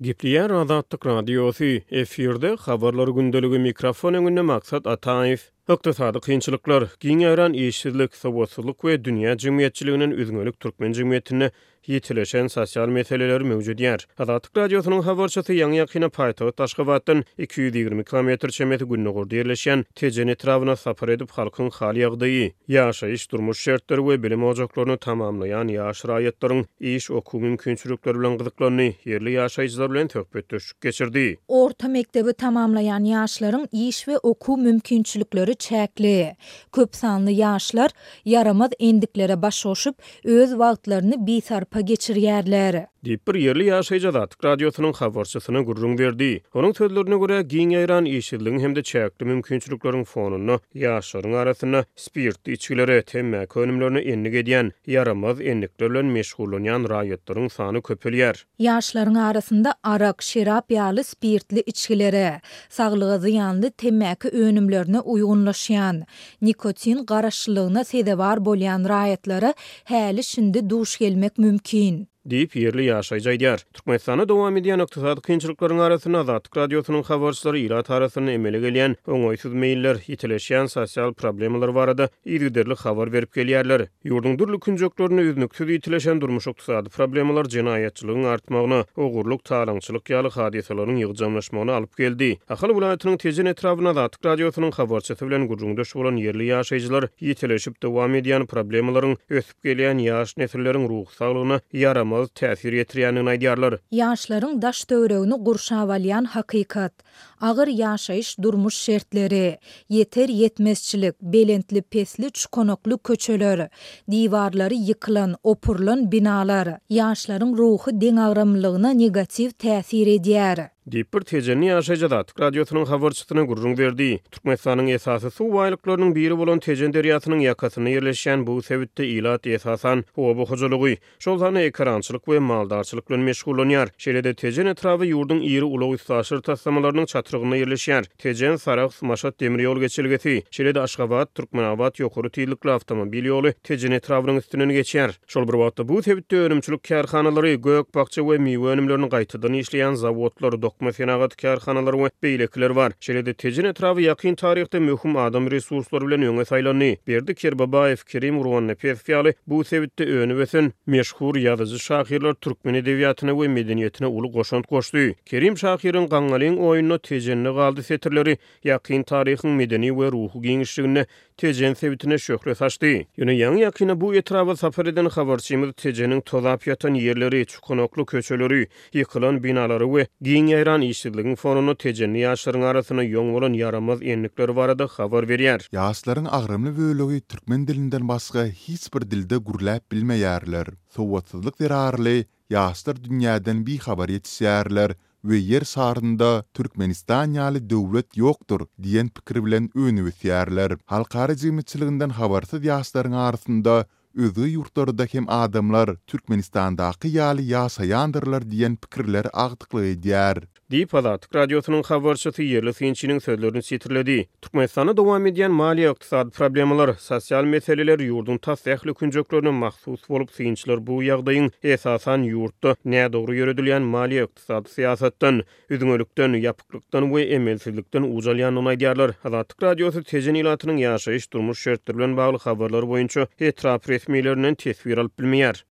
Gepleýär Azatlyk Radiosy, efirde Habarlar gündeligi, mikrofon öňünde Maksat Ataýew. Ykdysady kynçylyklar, giň ýaýran işsizlik, sowatsyzlyk we dünýä jemgyýetçiliginden üzňelik türkmen jemgyýetinde ýitileşen sosial meseleleri möwjedýär. Azatlyk Radiosynyň habarçysy ýaňy-ýakynda paýtagt Aşgabatdan 220 kilometr çemesi gündogarda ýerleşýän Tejen etrabyna sapar edip, halkyň hal-ýagdaýy, ýaşaýyş-durmuş şertleri we bilim ojaklaryny tamamlaýan ýaş raýatlaryň iş, okuw mümkinçilikleri bilen gyzyklandy, ýerli ýaşaýjylar bilen söhbetdeşlik geçirdi. Orta mekdebi tamamlaýan ýaşlaryň iş we okuw mümkinçilikleri çäkli. Köp sanly ýaşlar ýaramaz endiklere baş goşup, öz wagtlaryny bisarpa geçirýärler. Diýip, bir ýerli ýaşaýjy Azatlyk Radiosynyň habarçysyna gürrüň berdi. Onuň sözlerine görä, giň ýaýran işsizligiň hem-de çäkli mümkinçilikleriň fonunda ýaşlaryň arasynda spirtli içgilere, temmäki önümlerine endik edýän, ýaramaz endikler bilen meşgullanýan raýatlaryň sany köpelýär. Ýaşlaryň arasynda arak, şerap ýaly spirtli içgilere, saglyga zyýanly temmäki önümlerine uýgunlaşýan, nikotin garaşlylygyna sezewar bolýan raýatlara häli-şindi duş gelmek mümkin. Diýip, ýerli ýaşaýjy aýdýar. Türkmenistanda dowam edýän ykdysady kynçylyklaryň arasynda Azatlyk Radiosynyň habarçylary ilat arasynda emele gelýän oňaýsyz meýiller, ýitileşýän sosial problemalar barada yzygiderli habar berip gelýärler. Ýurduň dürli künjeklerinde üznüksiz ýitileşen durmuş-ykdysady problemalar jenaýatçylygyň artmagyna, ogurlyk, talaňçylyk ýaly hadysalaryň ýygjamlaşmagyna alyp geldi. Ahal welaýatynyň Tejen etrabynda Azatlyk Radiosynyň habarçysy bilen gürrüňdeş bolan ýerli ýaşaýjylar ýitileşip dowam edýän problemalaryň ösüp gelýän ýaş nesilleriň ruhy saglygyna ýaramaz täsir ýetirýändigini aýdýarlar. Ýaşlaryň daş-töweregini gurşap alýan hakykat, agyr ýaşaýyş-durmuş şertleri, ýeter-ýetmezçilik, belentli-pesli çukanakly köçeler, diwarlary ýykylan, opurylan binalar, ýaşlaryň ruhy deňagramlylygyna negatiw täsir edýär. Diýip, bir tejenli ýaşaýjy Azatlyk Radiosynyň habarçysyna gürrüň berdi. Türkmenistanyň esasy suw baýlyklarynyň biri bolan Tejen derýasynyň ýakasynda ýerleşýän bu sebitde ilat esasan oba hojalygy, şol sanda ekerançylyk we maldarçylyk bilen meşgullanýar. Şeýle-de Tejen etraby ýurduň iri ulag-üstaşyr taslamalarynyň çatrygynda ýerleşýär. Tejen, Sarahs, Maşat demir ýol geçelgesi, şeýle-de Aşgabat, Türkmenabat ýokary tizlikli awtomobil ýoly Tejen etrabynyň üstünden geçýär. Şol bir wagtda, bu sebitde önümçilik kärhanalary, gök-bakja we miwe önümlerini gaýtadan işleýän zawodlar, dokma senagaty kärhanalary we beýlekiler bar. Şeýle-de Tejen etraby ýakyn taryhda möhüm adam resurslary bilen öňe saýlandy. Berdi Kerbabaýew, Kerim Gurbannepesow ýaly bu sebitde önüp-ösen, meşhur ýazyjy-şahyrlar türkmen edebiýatyna we medeniýetine uly goşant goşdy. Kerim şahyryň Gaňňalyň oýunda Tejende galdy setirleri ýakyn taryhyň medeni we ruhy giňişliginde Tejen sebitine şöhle saçdy. Ýöne ýaňy-ýakynda bu etraba sapar eden habarçymyz Tejeniň tozap ýatan ýerleri, çukanakly köçeleri, ýykylan binalary we giň ýaýran işsizligiň fonunda tejenli ýaşlaryň arasynda ýoň bolan ýaramaz endikler barada habar berýär. Ýaşlaryň agramly bölegi türkmen dilinden başga hiç bir dilde gürläp bilmeýärler. Sowatsyzlyk zerarly Ýaşlar dünýäden bihabar ýetişýärler we Ýer şarynda Türkmenistan ýaly döwlet ýokdur diýen pikir bilen önüp ösýärler. Halkara jemgyýetçiliginden habarsyz ýaşlaryň arasynda özge ýurtlarda hem adamlar Türkmenistandaky ýaly ýaşaýandyrlar diýen pikirler agdyklyk edýär. Diýip, Azatlyk Radiosynyň habarçysy ýerli synçynyň sözlerini sitirledi. Türkmenistanda dowam edýän maliýe-ykdysady problemalar, sosial meseleler ýurduň tas ähli künjeklerine mahsus bolup, synçylar bu ýagdaýyň, esasan, ýurtda nädogry ýöredilýän maliýe-ykdysady syýasatdan, üzňelikden, ýapyklykdan we emelsizlikden uç alýandygyny aýdýarlar. Azatlyk Radiosy Tejen ilatynyň ýaşaýyş-durmuş şertleri bilen bagly habarlar boýunça etrap resmilerinden teswir alyp bilmeýär.